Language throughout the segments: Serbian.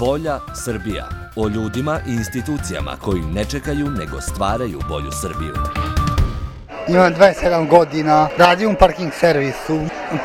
Bolja Srbija. O ljudima i institucijama koji ne čekaju nego stvaraju bolju Srbiju. Imam 27 godina, radim u parking servisu,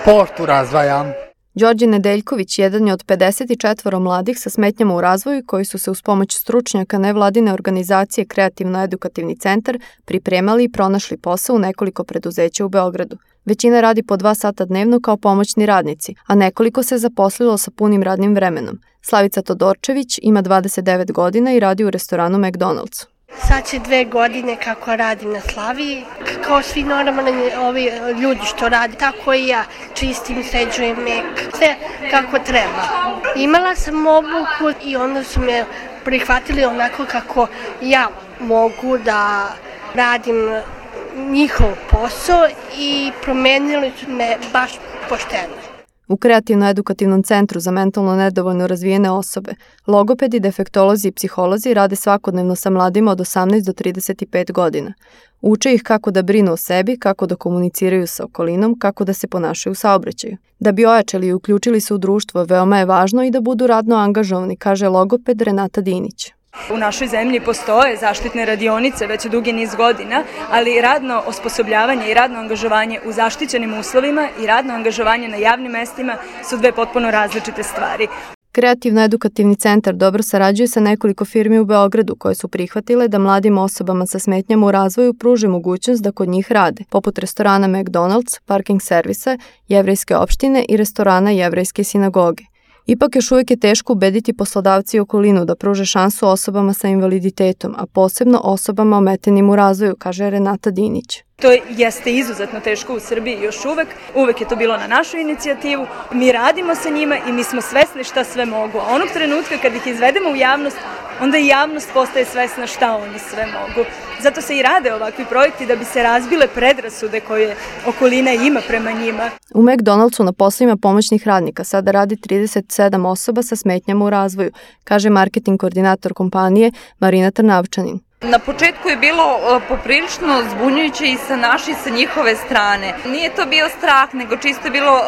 poštu razvajam. Đorđe Nedeljković jedan je od 54 mladih sa smetnjama u razvoju koji su se uz pomoć stručnjaka nevladine organizacije Kreativno-edukativni centar pripremali i pronašli posao u nekoliko preduzeća u Beogradu. Većina radi po 2 sata dnevno kao pomoćni radnici, a nekoliko se zaposlilo sa punim radnim vremenom. Slavica Todorčević ima 29 godina i radi u restoranu McDonald's. Sad će 2 godine kako radim na Slaviji. Kao svi normalni ovi ljudi što radi, tako i ja čistim, sređujem mek, sve kako treba. Imala sam obuku i onda su me prihvatili onako kako ja mogu da radim njihov posao i promenili su me baš pošteno. U Kreativno-edukativnom centru za mentalno nedovoljno razvijene osobe, logopedi, defektolozi i psiholozi rade svakodnevno sa mladima od 18 do 35 godina. Uče ih kako da brinu o sebi, kako da komuniciraju sa okolinom, kako da se ponašaju u saobraćaju. Da bi ojačali i uključili se u društvo, veoma je važno i da budu radno angažovani, kaže logoped Renata Dinić. U našoj zemlji postoje zaštitne radionice već dugi niz godina, ali radno osposobljavanje i radno angažovanje u zaštićenim uslovima i radno angažovanje na javnim mestima su 2 potpuno različite stvari. Kreativno-edukativni centar dobro sarađuje sa nekoliko firmi u Beogradu koje su prihvatile da mladim osobama sa smetnjama u razvoju pruže mogućnost da kod njih rade, poput restorana McDonald's, parking servisa, jevrejske opštine i restorana jevrejske sinagoge. Ipak još uvijek je teško ubediti poslodavci i okolinu da pruže šansu osobama sa invaliditetom, a posebno osobama ometenim u razvoju, kaže Renata Dinić. To jeste izuzetno teško u Srbiji još uvek je to bilo na našu inicijativu. Mi radimo sa njima i mi smo svesni šta sve mogu. A onog trenutka kad ih izvedemo u javnost, onda i javnost postaje svesna šta oni sve mogu. Zato se i rade ovakvi projekti da bi se razbile predrasude koje okolina ima prema njima. U McDonald'su na poslovima pomoćnih radnika sada radi 37 osoba sa smetnjama u razvoju, kaže marketing koordinator kompanije Marina Trnavčanin. Na početku je bilo poprilično zbunjujuće i sa naše i sa njihove strane. Nije to bio strah, nego čisto je bilo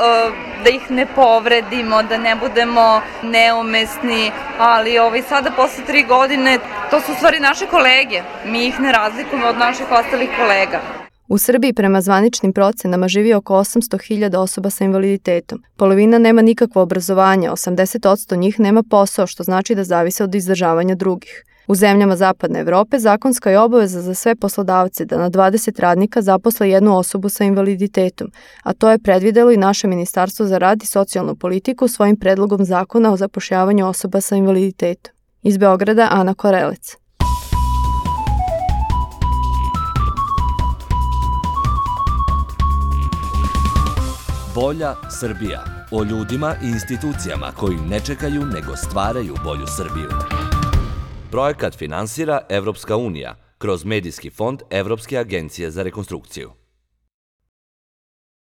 da ih ne povredimo, da ne budemo neumesni, ali sada posle 3 godine to su u stvari naše kolege. Mi ih ne razlikujemo od naših ostalih kolega. U Srbiji prema zvaničnim procenama živi oko 800.000 osoba sa invaliditetom. Polovina nema nikakvo obrazovanje, 80% njih nema posao, što znači da zavise od izdržavanja drugih. U zemljama Zapadne Evrope zakonska je obaveza za sve poslodavce da na 20 radnika zaposle jednu osobu sa invaliditetom, a to je predvidelo i naše Ministarstvo za rad i socijalnu politiku svojim predlogom zakona o zapošljavanju osoba sa invaliditetom. Iz Beograda, Ana Korelec. Bolja Srbija. O ljudima i institucijama koji ne čekaju nego stvaraju bolju Srbiju. Projekat finansira Evropska unija kroz Medijski fond Evropske agencije za rekonstrukciju.